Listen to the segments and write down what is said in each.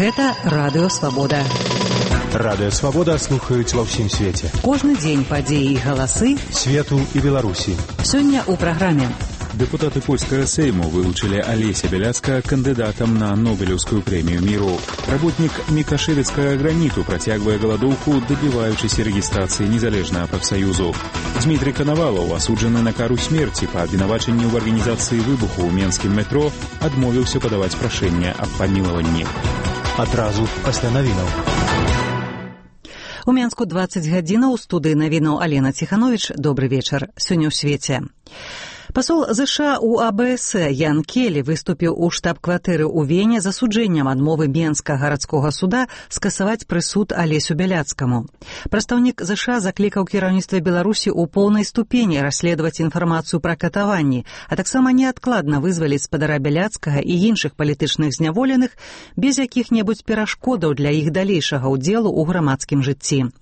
Гэта Радыё Свабода. Радыё Свабода слухаюць ва ўсім свеце. Кожны дзень падзеі і галасы свету і Беларусі. Сёння ў праграме. Депутаты польскага Сейму вылучили Олеся Беляцка кандидатом на Нобелевскую премию миру. Работник Микошевицкого граниту протягивая голодовку, добиваючись регистрации незалежного профсоюзу. Дмитрий Коновалов, осудженный на кару смерти по обвинувачению в организации выбуху ў менскім метро, адмовіўся падаваць прашэнне аб памілаванні. Адразу пасля навінаў. У Менску 20 гадзінаў, у студыі навінаў Алена Ціханович. Добры вечар. Сёння ў свеце. Пасол США ў АБС Ян Келі выступіў у штаб-кватэры ў Вене з асуджэннем адмовы Менскага гарадскога суда скасаваць прысуд Алесю Бяляцкаму. Прадстаўнік США заклікаў кіраўніцтва Беларусі ў поўнай ступені расследаваць інфармацыю пра катаванні, а таксама неадкладна вызваліць спадара Бяляцкага і іншых палітычных зняволеных без якіх-небудзь перашкодаў для іх далейшага ўдзелу ў грамадскім жыцці.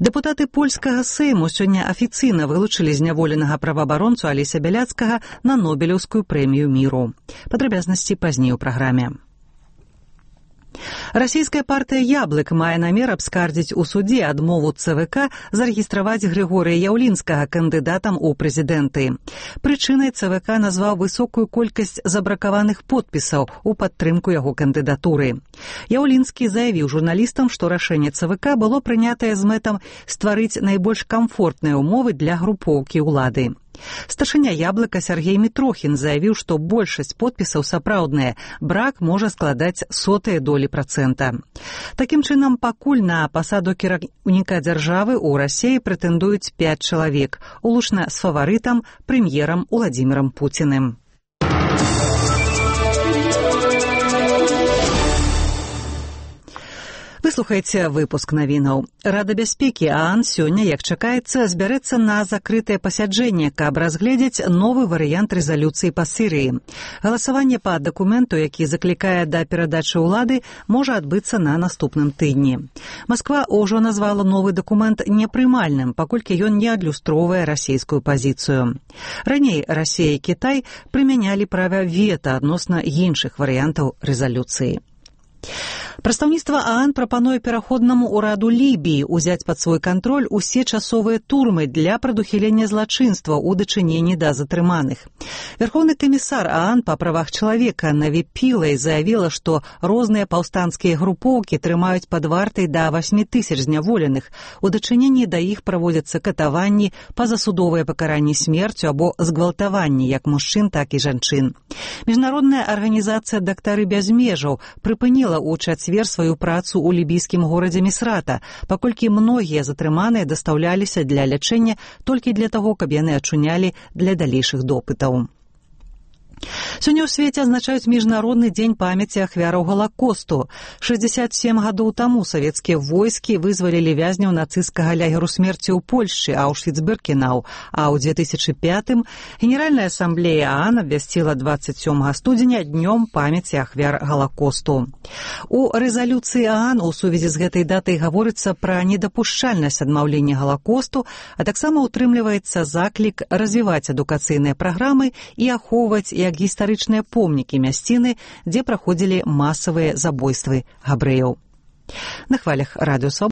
Дэпутаты польскага Сейму сёння афіцыйна вылучылі зняволенага праваабаронцу Алеся Бяляцкага на Нобелеўскую прэмію міру. Падрабязнасці пазней у праграме. Расійская партыя «Яблык» мае намер абскардзіць у судзе адмову ЦВК зарэгістраваць Григорія Яўлінскага кандыдатам у прэзідэнты. Прычынай ЦВК назваў высокую колькасць забракаваных подпісаў у падтрымку яго кандыдатуры. Яўлінскі заявіў журналістам, што рашэнне ЦВК было прынятае з мэтам стварыць найбольш камфортныя ўмовы для групоўкі ўлады. Старшыня «Яблыка» Сергей Мітрохін заявіў, што большасць подпісаў сапраўдныя, брак можа складаць 0,01%. Такім чынам, пакуль на пасаду кіраўніка дзяржавы ў Расіі прэтэндуюць 5 чалавек, улучна з фаварытам, прэм'ерам Уладзімірам Пуціным. Вы слухаеце выпуск навінаў. Рада бяспекі ААН сёння, як чакаецца, збярэцца на закрытае пасяджэнне, каб разгледзець новы варыянт рэзалюцыі па Сірыі. Галасаванне па дакументу, які заклікае да перадачы ўлады, можа адбыцца на наступным тыдні. Масква ўжо назвала новы дакумент непрымальным, паколькі ён не адлюстроўвае расійскую пазіцыю. Раней Расія і Кітай прымянялі права вета адносна іншых варыянтаў рэзалюцыі. Прадстаўніцтва ААН прапануе пераходнаму ўраду Лібіі ўзяць пад свой кантроль усе часовыя турмы для прадухілення злачынства ў дачыненні да затрыманых. Верховны камісар ААН па правах чалавека Наві Пілай заявіла, што розныя паўстанцкія групоўкі трымаюць пад вартай да 8 000 зняволеных. У дачыненні да іх праводзяцца катаванні, пазасудовае пакаранне смерцю або згвалтаванні як мужчын, так і жанчын. Міжнародная арганізацыя «Дактары без межаў» прыпыніла ў чацвер сваю працу ў лібійскім горадзе Місрата, паколькі многія затрыманыя дастаўляліся для лячэння толькі для таго, каб яны ачунялі для далейшых допытаў. Сёння ў свеце азначаюць міжнародны дзень памяці ахвяраў Галакосту. 67 гадоў таму савецкія войскі вызвалілі вязняў нацысцкага лагеру смерці ў Польшчы Аўшвіц-Біркенау, а ў 2005-м Генеральная асамблея ААН абвясціла 27 студзеня днём памяці ахвяр Галакосту. У рэзалюцыі ААН у сувязі з гэтай датай гаворыцца пра недапушчальнасць адмаўлення Галакосту, а таксама утрымліваецца заклік развіваць адукацыйныя праграмы і ахоўваць як гістарычныя помнікі мясціны, дзе праходзілі масавыя забойствы габрэяў. На хвалях Радыё Свабода